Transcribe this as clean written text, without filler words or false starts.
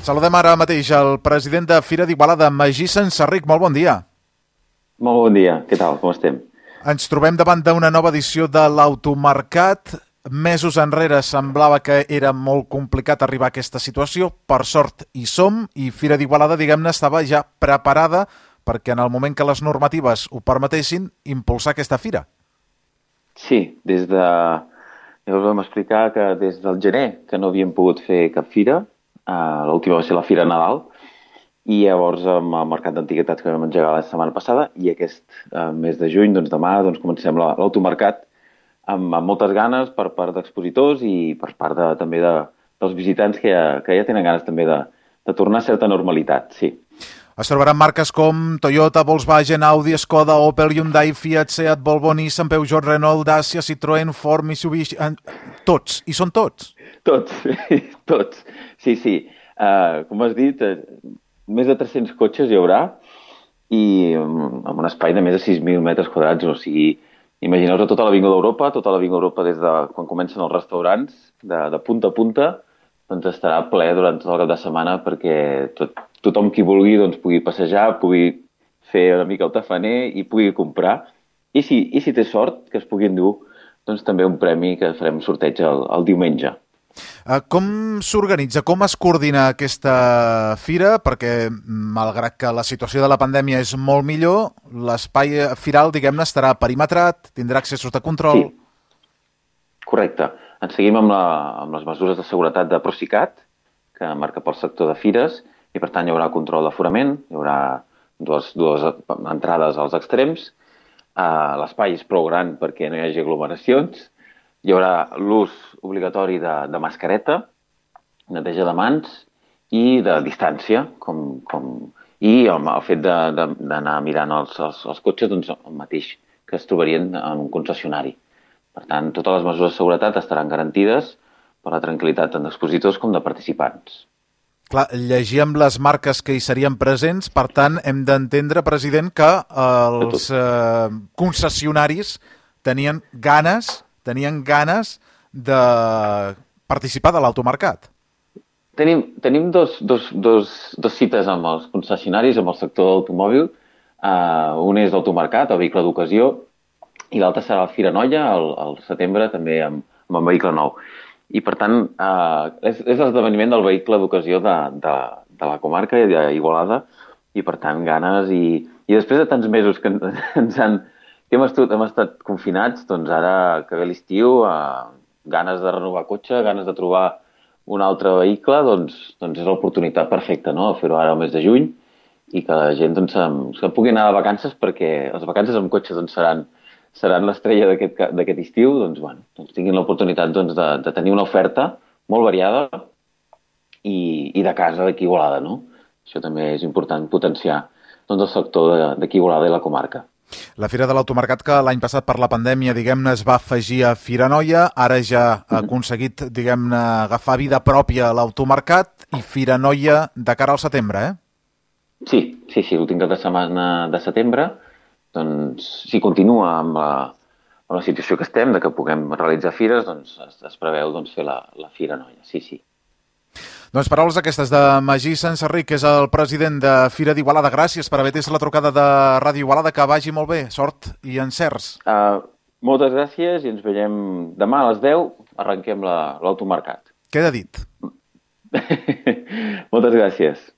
Saludem ara mateix el president de Fira d'Igualada, Magí Senserric. Molt bon dia. Molt bon dia. Què tal? Com estem? Ens trobem davant d'una nova edició de l'Automercat. Mesos enrere semblava que era molt complicat arribar a aquesta situació. Per sort hi som i Fira d'Igualada, diguem-ne, estava ja preparada perquè en el moment que les normatives ho permetessin, impulsar aquesta fira. Sí, ja us vam explicar que des del gener que no havíem pogut fer cap fira. L'última va ser la Fira Nadal i llavors amb el mercat d'antiguitats que vam engegar la setmana passada i aquest mes de juny, doncs demà, comencem l'automercat amb moltes ganes per part d'expositors i per part també dels visitants que ja tenen ganes també de tornar a certa normalitat, sí. Es trobaran marques com Toyota, Volkswagen, Audi, Skoda, Opel, Hyundai, Fiat, Seat, Volvo, Nissan, Peugeot, Renault, Dacia, Citroën, Ford, Mitsubishi... Tots. I són tots. Tots. Sí. Com has dit, més de 300 cotxes hi haurà i amb un espai de més de 6.000 metres quadrats. O sigui, imagineu-vos tota l'Avinguda Europa, des de quan comencen els restaurants, de punta a punta, doncs estarà ple durant tot el cap de setmana perquè tothom qui vulgui pugui passejar, pugui fer una mica el tafaner i pugui comprar. I si té sort, que es pugui endur també un premi que farem sorteig el diumenge. Com s'organitza, com es coordina aquesta fira? Perquè, malgrat que la situació de la pandèmia és molt millor, l'espai firal, diguem-ne, estarà perimetrat, tindrà accessos de control... Sí, correcte. Ens seguim amb les mesures de seguretat de Procicat, que marca pel sector de fires, i per tant hi haurà control d'aforament, hi haurà dues entrades als extrems, l'espai és prou gran perquè no hi hagi aglomeracions, hi haurà l'ús obligatori de mascareta, neteja de mans i de distància, i el fet d'anar mirant els cotxes el mateix que es trobarien en un concessionari. Per tant, totes les mesures de seguretat estaran garantides per la tranquil·litat tant d'expositors com de participants. Clar, llegíem les marques que hi serien presents, per tant, hem d'entendre, president, que els concessionaris tenien ganes de participar de l'automercat. Tenim dos cites amb els concessionaris, amb el sector de l'automòbil. Un és l'automercat, el vehicle d'ocasió, i l'altre serà la Fira Noia, al setembre, també amb el vehicle nou. I, per tant, és l'esdeveniment del vehicle d'ocasió de la comarca i d'Igualada, i, per tant, ganes. I després de tants mesos que hem estat confinats, doncs ara que ve l'estiu, ganes de renovar cotxe, ganes de trobar un altre vehicle, doncs és l'oportunitat perfecta, no?, de fer-ho ara al mes de juny i que la gent que pugui anar de vacances, perquè les vacances amb cotxe seran l'estrella d'aquest estiu, tinguin l'oportunitat de tenir una oferta molt variada i de casa d'aquí Igualada, no? Això també és important, potenciar el sector d'aquí Igualada i la comarca. La Fira de l'Automercat, que l'any passat per la pandèmia, diguem-ne, es va afegir a Fira Noia, ara ja ha aconseguit, diguem-ne, agafar vida pròpia a l'Automercat i Fira Noia de cara al setembre, eh? Sí, l'últim cap de setmana de setembre, doncs, si continua amb la situació que estem, de que puguem realitzar fires, doncs es preveu fer la Fira Noia, sí. Doncs paraules aquestes de Magí Senserric, que és el president de Fira d'Igualada. Gràcies per haver atès la trucada de Ràdio Igualada, que vagi molt bé, sort i encerts. Moltes gràcies i ens veiem demà a les 10, arrenquem l'automercat. Queda dit. Moltes gràcies.